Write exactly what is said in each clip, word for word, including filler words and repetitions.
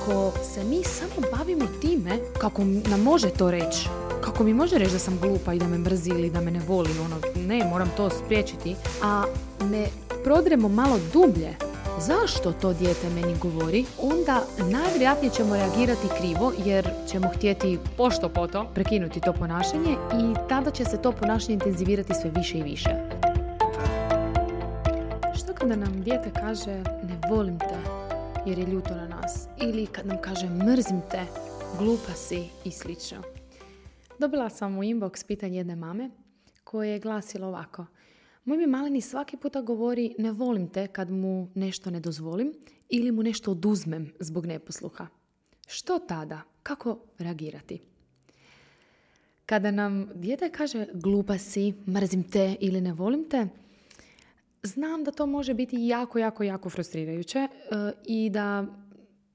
Ako se mi samo bavimo time kako nam može to reći, kako mi može reći da sam glupa i da me mrzi ili da me ne voli, ono, ne, moram to spriječiti, a ne prodremo malo dublje zašto to dijete meni govori, onda najvjerojatnije ćemo reagirati krivo jer ćemo htjeti pošto poto prekinuti to ponašanje i tada će se to ponašanje intenzivirati sve više i više. Što kada nam dijete kaže ne volim te jer je ljuto na nas, ili kad nam kaže mrzim te, glupa si i slično. Dobila sam u inbox pitanje jedne mame koje je glasilo ovako: moj mi maleni svaki puta govori ne volim te kad mu nešto ne dozvolim ili mu nešto oduzmem zbog neposluha. Što tada? Kako reagirati? Kada nam dijete kaže glupa si, mrzim te ili ne volim te, znam da to može biti jako, jako, jako frustrirajuće e, i da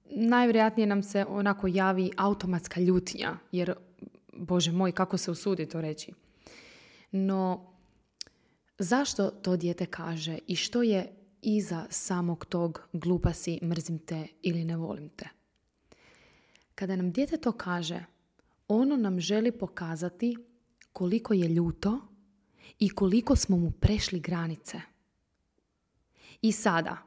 najvjerojatnije nam se onako javi automatska ljutnja, jer, Bože moj, kako se usudi to reći. No, zašto to dijete kaže i što je iza samog tog glupa si, mrzim te ili ne volim te? Kada nam dijete to kaže, ono nam želi pokazati koliko je ljuto i koliko smo mu prešli granice. I sada,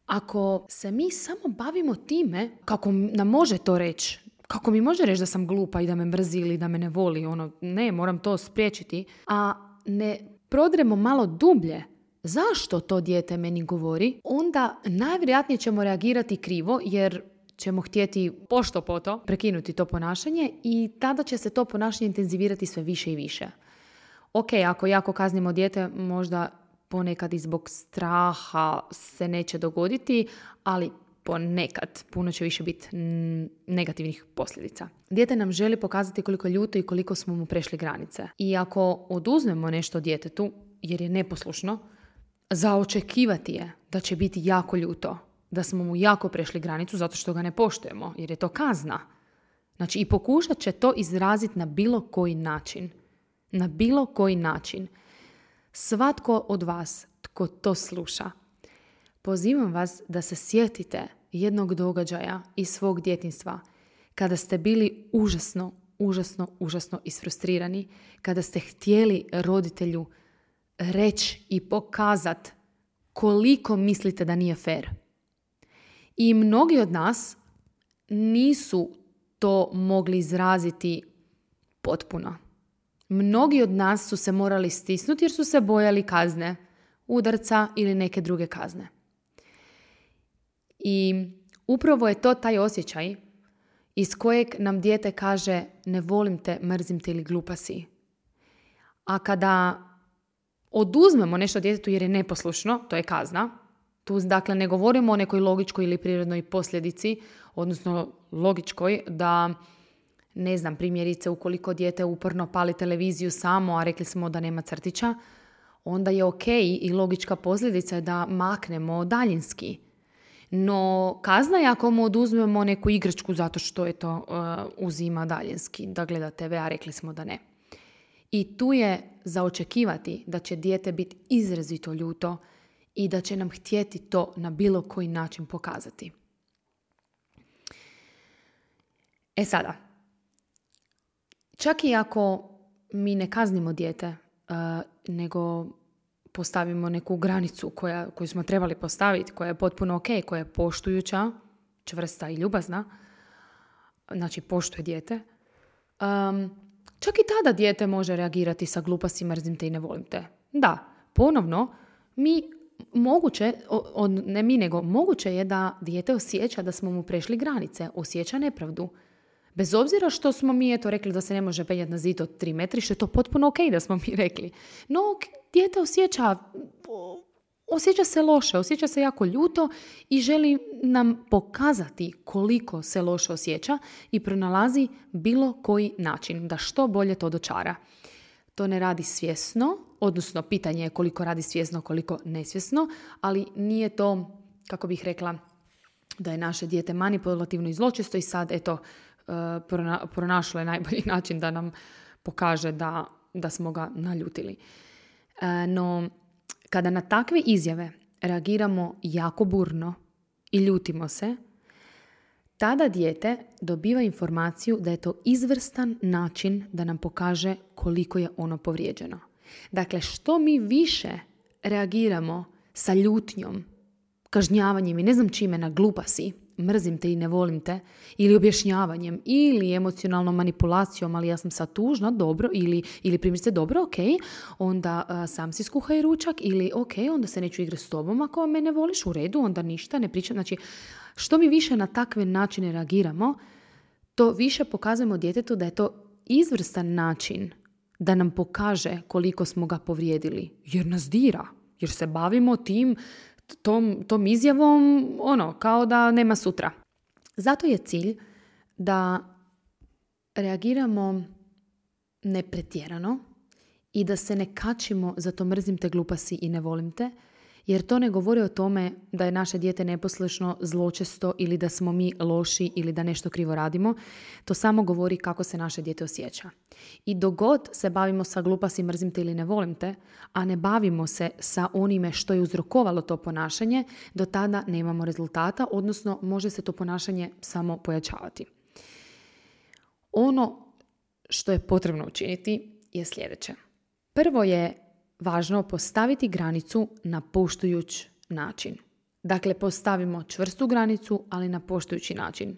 ako se mi samo bavimo time kako nam može to reći, kako mi može reći da sam glupa i da me mrzi ili da me ne voli, ono, ne, moram to spriječiti, a ne prodremo malo dublje zašto to dijete meni govori, onda najvjerojatnije ćemo reagirati krivo jer ćemo htjeti pošto poto prekinuti to ponašanje i tada će se to ponašanje intenzivirati sve više i više. Ok, ako jako kaznimo dijete, možda ponekad i zbog straha se neće dogoditi, ali ponekad puno će više biti negativnih posljedica. Dijete nam želi pokazati koliko je ljuto i koliko smo mu prešli granice. I ako oduzmemo nešto djetetu, jer je neposlušno, za očekivati je da će biti jako ljuto, da smo mu jako prešli granicu zato što ga ne poštujemo, jer je to kazna. Znači i pokušat će to izraziti na bilo koji način. Na bilo koji način. Svatko od vas tko to sluša, pozivam vas da se sjetite jednog događaja iz svog djetinjstva kada ste bili užasno, užasno, užasno isfrustrirani, kada ste htjeli roditelju reći i pokazati koliko mislite da nije fer. I mnogi od nas nisu to mogli izraziti potpuno. Mnogi od nas su se morali stisnuti jer su se bojali kazne, udarca ili neke druge kazne. I upravo je to taj osjećaj iz kojeg nam dijete kaže ne volim te, mrzim te ili glupa si. A kada oduzmemo nešto djetetu jer je neposlušno, to je kazna. Tu dakle ne govorimo o nekoj logičkoj ili prirodnoj posljedici, odnosno logičkoj da, ne znam, primjerice ukoliko dijete uporno pali televiziju samo, a rekli smo da nema crtića, onda je ok i logička posljedica je da maknemo daljinski. No kazna je ako mu oduzmemo neku igračku zato što je to uh, uzima daljinski, da gleda te ve, a rekli smo da ne. I tu je za očekivati da će dijete biti izrazito ljuto i da će nam htjeti to na bilo koji način pokazati. E sada, čak i ako mi ne kaznimo dijete, uh, nego postavimo neku granicu koja, koju smo trebali postaviti, koja je potpuno ok, koja je poštujuća, čvrsta i ljubazna, znači poštuje dijete, um, čak i tada dijete može reagirati sa glupa si, mrzim te i ne volim te. Da, ponovno, mi moguće, o, ne mi nego, moguće je da dijete osjeća da smo mu prešli granice, osjeća nepravdu. Bez obzira što smo mi eto rekli da se ne može penjati na zid od tri metri, što je to potpuno ok da smo mi rekli. No, dijete osjeća, osjeća se loše, osjeća se jako ljuto i želi nam pokazati koliko se loše osjeća i pronalazi bilo koji način da što bolje to dočara. To ne radi svjesno, odnosno pitanje je koliko radi svjesno, koliko nesvjesno, ali nije to, kako bih rekla, da je naše dijete manipulativno i zločesto i sad, eto, pronašlo je najbolji način da nam pokaže da, da smo ga naljutili. No, kada na takve izjave reagiramo jako burno i ljutimo se, tada dijete dobiva informaciju da je to izvrstan način da nam pokaže koliko je ono povrijeđeno. Dakle, što mi više reagiramo sa ljutnjom, kažnjavanjem i ne znam čime na glupa si, mrzim te i ne volim te, ili objašnjavanjem, ili emocionalnom manipulacijom, ali ja sam sad tužna, dobro, ili, ili primjerice dobro, ok, onda a, sam si skuhaj ručak, ili ok, onda se neću igrati s tobom ako me ne voliš, u redu, onda ništa, ne pričam. Znači, što mi više na takve načine reagiramo, to više pokazujemo djetetu da je to izvrstan način da nam pokaže koliko smo ga povrijedili, jer nas dira, jer se bavimo tim, tom, tom izjavom, ono, kao da nema sutra. Zato je cilj da reagiramo nepretjerano i da se ne kačimo za to mrzim te, glupa si i ne volim te, jer to ne govori o tome da je naše dijete neposlušno, zločesto ili da smo mi loši ili da nešto krivo radimo. To samo govori kako se naše dijete osjeća. I dok god se bavimo sa glupa si, mrzim te ili ne volim te, a ne bavimo se sa onime što je uzrokovalo to ponašanje, do tada nemamo rezultata, odnosno može se to ponašanje samo pojačavati. Ono što je potrebno učiniti je sljedeće. Prvo je važno postaviti granicu na poštujuć način. Dakle, postavimo čvrstu granicu, ali na poštujući način.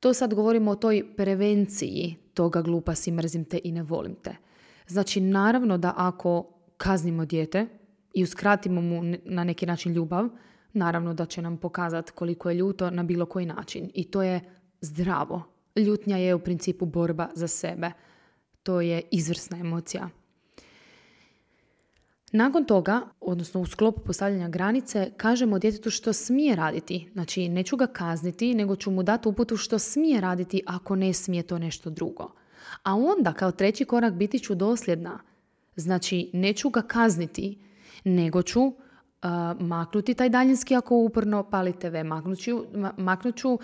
To sad govorimo o toj prevenciji toga glupa si, mrzim te i ne volim te. Znači, naravno da ako kaznimo dijete i uskratimo mu na neki način ljubav, naravno da će nam pokazati koliko je ljuto na bilo koji način. I to je zdravo. Ljutnja je u principu borba za sebe. To je izvrsna emocija. Nakon toga, odnosno u sklopu postavljanja granice, kažemo djetetu što smije raditi. Znači, neću ga kazniti, nego ću mu dati uputu što smije raditi ako ne smije to nešto drugo. A onda, kao treći korak, biti ću dosljedna. Znači, neću ga kazniti, nego ću uh, maknuti taj daljinski ako uporno pali te ve. Maknut ću, maknut ću uh,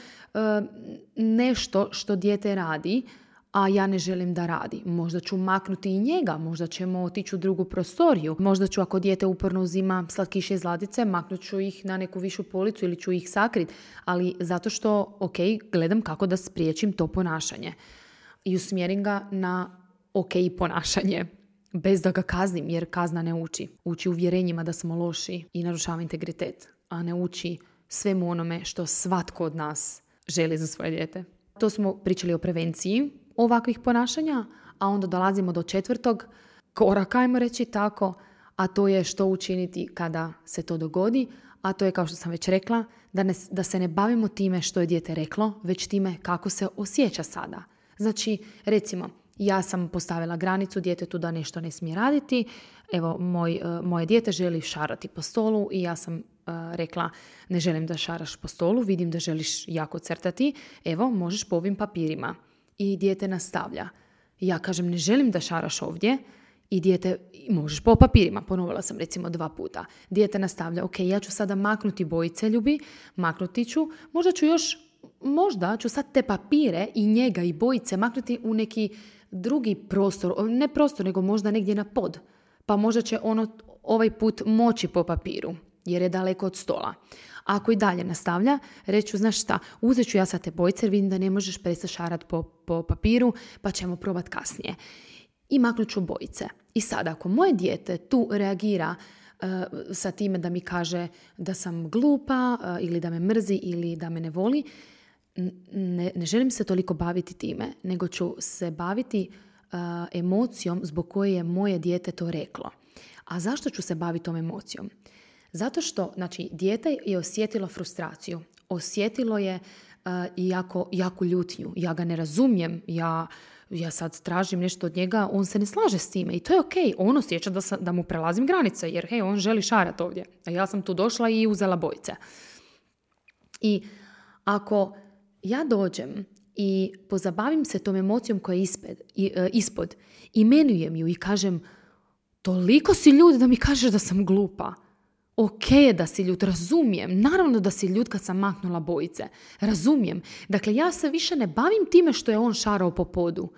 nešto što dijete radi, a ja ne želim da radi. Možda ću maknuti i njega, možda ćemo otići u drugu prostoriju, možda ću ako dijete uporno uzima slatkiše iz ladice, maknut ću ih na neku višu policu ili ću ih sakriti, ali zato što, ok, gledam kako da spriječim to ponašanje i usmjerim ga na ok ponašanje, bez da ga kaznim, jer kazna ne uči. Uči uvjerenjima da smo loši i narušava integritet, a ne uči svemu onome što svatko od nas želi za svoje dijete. To smo pričali o prevenciji ovakvih ponašanja, a onda dolazimo do četvrtog koraka, ajmo reći tako, a to je što učiniti kada se to dogodi, a to je, kao što sam već rekla, da, ne, da se ne bavimo time što je dijete reklo, već time kako se osjeća sada. Znači, recimo, ja sam postavila granicu djetetu da nešto ne smije raditi, evo, moj, moje dijete želi šarati po stolu i ja sam uh, rekla, ne želim da šaraš po stolu, vidim da želiš jako crtati, evo, možeš po ovim papirima. I dijete nastavlja. Ja kažem, ne želim da šaraš ovdje, i dijete, možeš po papirima, ponovila sam recimo dva puta. Dijete nastavlja, ok, ja ću sada maknuti bojice, ljubi, maknuti ću, možda ću još, možda ću sad te papire i njega i bojice maknuti u neki drugi prostor, ne prostor, nego možda negdje na pod, pa možda će ono ovaj put moći po papiru, jer je daleko od stola. A ako i dalje nastavlja, reću, znaš šta, uzet ću ja sad te bojice jer vidim da ne možeš prestati šarati po, po papiru, pa ćemo probati kasnije. I maknut ću bojice. I sada, ako moje dijete tu reagira uh, sa time da mi kaže da sam glupa uh, ili da me mrzi ili da me ne voli, ne, ne želim se toliko baviti time, nego ću se baviti uh, emocijom zbog koje je moje dijete to reklo. A zašto ću se baviti tom emocijom? Zato što, znači, dijete je osjetilo frustraciju, osjetilo je uh, jako, jako ljutnju. Ja ga ne razumijem, ja, ja sad tražim nešto od njega, on se ne slaže s time i to je ok. On osjeća da, sam, da mu prelazim granice, jer hej, on želi šarat ovdje. A ja sam tu došla i uzela bojice. I ako ja dođem i pozabavim se tom emocijom koja je ispred, i, uh, ispod, imenujem ju i kažem, toliko si ljud da mi kažeš da sam glupa. Ok je da si ljut, razumijem. Naravno da si ljut kad sam maknula bojice. Razumijem. Dakle, ja se više ne bavim time što je on šarao po podu.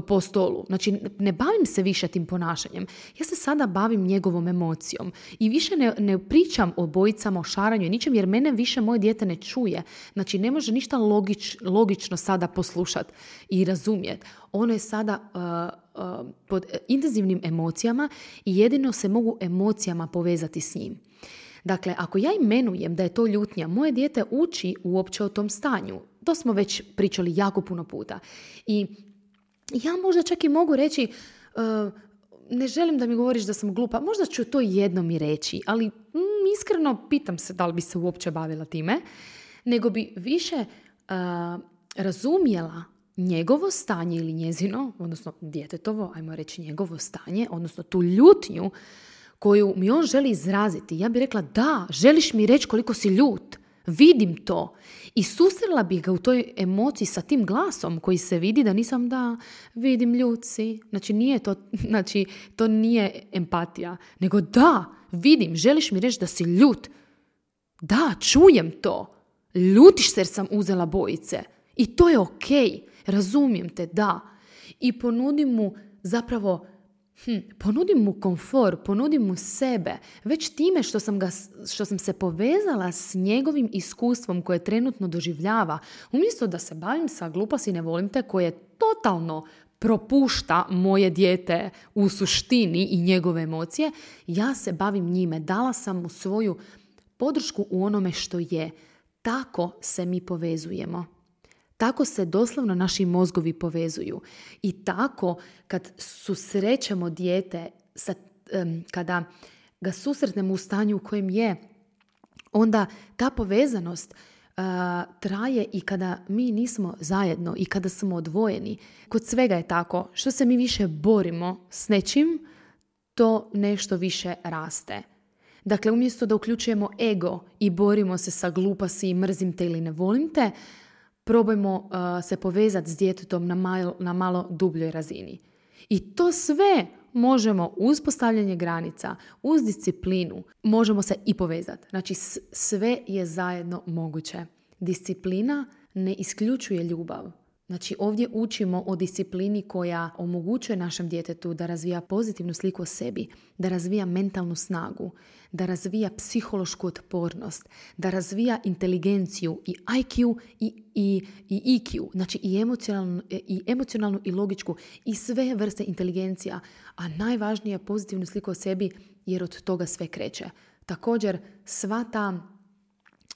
po stolu. Znači, ne bavim se više tim ponašanjem. Ja se sada bavim njegovom emocijom. I više ne, ne pričam o bojicama, o šaranju i ničem, jer mene više moje dijete ne čuje. Znači, ne može ništa logič, logično sada poslušati i razumjeti. Ono je sada uh, uh, pod intenzivnim emocijama i jedino se mogu emocijama povezati s njim. Dakle, ako ja imenujem da je to ljutnja, moje dijete uči uopće o tom stanju. To smo već pričali jako puno puta. I ja možda čak i mogu reći, uh, ne želim da mi govoriš da sam glupa, možda ću to jednom i reći, ali mm, iskreno pitam se da li bi se uopće bavila time, nego bi više uh, razumjela njegovo stanje ili njezino, odnosno djetetovo, ajmo reći njegovo stanje, odnosno tu ljutnju koju mi on želi izraziti. Ja bih rekla, da, želiš mi reći koliko si ljut, vidim to. I susrela bih ga u toj emociji sa tim glasom koji se vidi da nisam, da, vidim ljut si. Znači, nije to, znači, to nije empatija, nego da, vidim, želiš mi reći da si ljut. Da, čujem to. Ljutiš se jer sam uzela bojice. I to je okej. Razumijem te, da. I ponudim mu zapravo Hm, ponudim mu komfor, ponudim mu sebe. Već time što sam, ga, što sam se povezala s njegovim iskustvom koje trenutno doživljava, umjesto da se bavim sa gluposti ne volim te koje totalno propušta moje dijete u suštini i njegove emocije, ja se bavim njime. Dala sam mu svoju podršku u onome što je. Tako se mi povezujemo. Tako se doslovno naši mozgovi povezuju. I tako kad susrećemo dijete, sa, um, kada ga susretnemo u stanju u kojem je, onda ta povezanost uh, traje i kada mi nismo zajedno i kada smo odvojeni. Kod svega je tako. Što se mi više borimo s nečim, to nešto više raste. Dakle, umjesto da uključujemo ego i borimo se sa gluposti i mrzim te ili ne volim te, probajmo uh, se povezati s djetetom na malo, na malo dubljoj razini. I to sve možemo uz postavljanje granica, uz disciplinu, možemo se i povezati. Znači, s- sve je zajedno moguće. Disciplina ne isključuje ljubav. Znači, ovdje učimo o disciplini koja omogućuje našem djetetu da razvija pozitivnu sliku o sebi, da razvija mentalnu snagu, da razvija psihološku otpornost, da razvija inteligenciju i I Q i, i, i E Q, znači i emocionalnu, i emocionalnu i logičku i sve vrste inteligencija, a najvažnije je pozitivnu sliku o sebi jer od toga sve kreće. Također, sva ta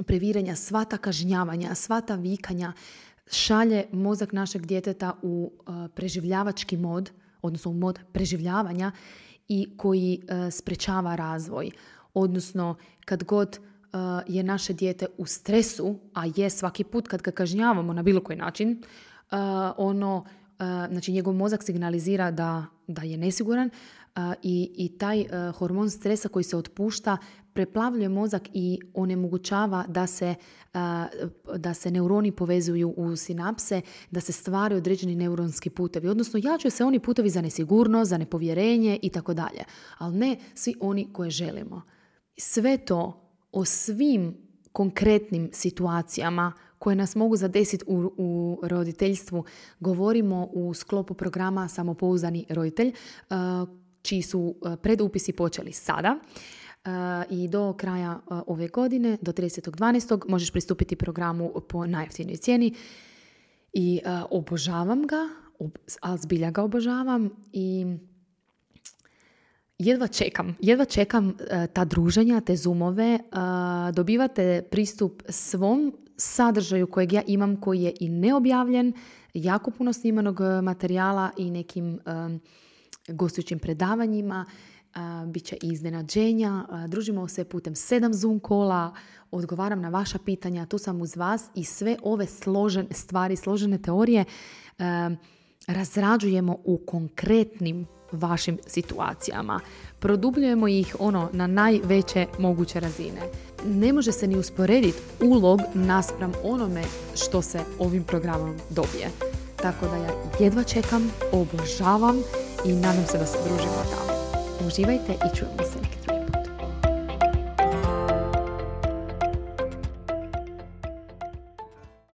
previranja, sva ta kažnjavanja, sva ta vikanja šalje mozak našeg djeteta u uh, preživljavački mod, odnosno u mod preživljavanja i koji uh, sprečava razvoj. Odnosno, kad god uh, je naše dijete u stresu, a je svaki put kad ga kažnjavamo na bilo koji način, uh, ono, uh, znači njegov mozak signalizira da, da je nesiguran uh, i, i taj uh, hormon stresa koji se otpušta preplavljuje mozak i onemogućava da se, uh, da se neuroni povezuju u sinapse, da se stvaraju određeni neuronski putevi. Odnosno, jačaju se oni putevi za nesigurnost, za nepovjerenje i tako dalje. Ali ne svi oni koje želimo. Sve to o svim konkretnim situacijama koje nas mogu zadesiti u, u roditeljstvu govorimo u sklopu programa Samopouzdani roditelj, uh, čiji su predupisi počeli sada. Uh, i do kraja uh, ove godine, do tridesetog dvanaestog možeš pristupiti programu po najjeftinijoj cijeni i uh, obožavam ga, ob, ali zbilja ga obožavam i jedva čekam, jedva čekam uh, ta druženja, te zoomove, uh, dobivate pristup svom sadržaju kojeg ja imam, koji je i neobjavljen, jako puno snimanog materijala i nekim um, gostujućim predavanjima. Uh, bit će i iznenađenja, uh, družimo se putem sedam Zoom kola, odgovaram na vaša pitanja, tu sam uz vas i sve ove složene stvari, složene teorije uh, razrađujemo u konkretnim vašim situacijama. Produbljujemo ih ono na najveće moguće razine. Ne može se ni usporediti ulog naspram onome što se ovim programom dobije. Tako da ja jedva čekam, obožavam i nadam se da se družimo tamo. Uživajte i čujemo se.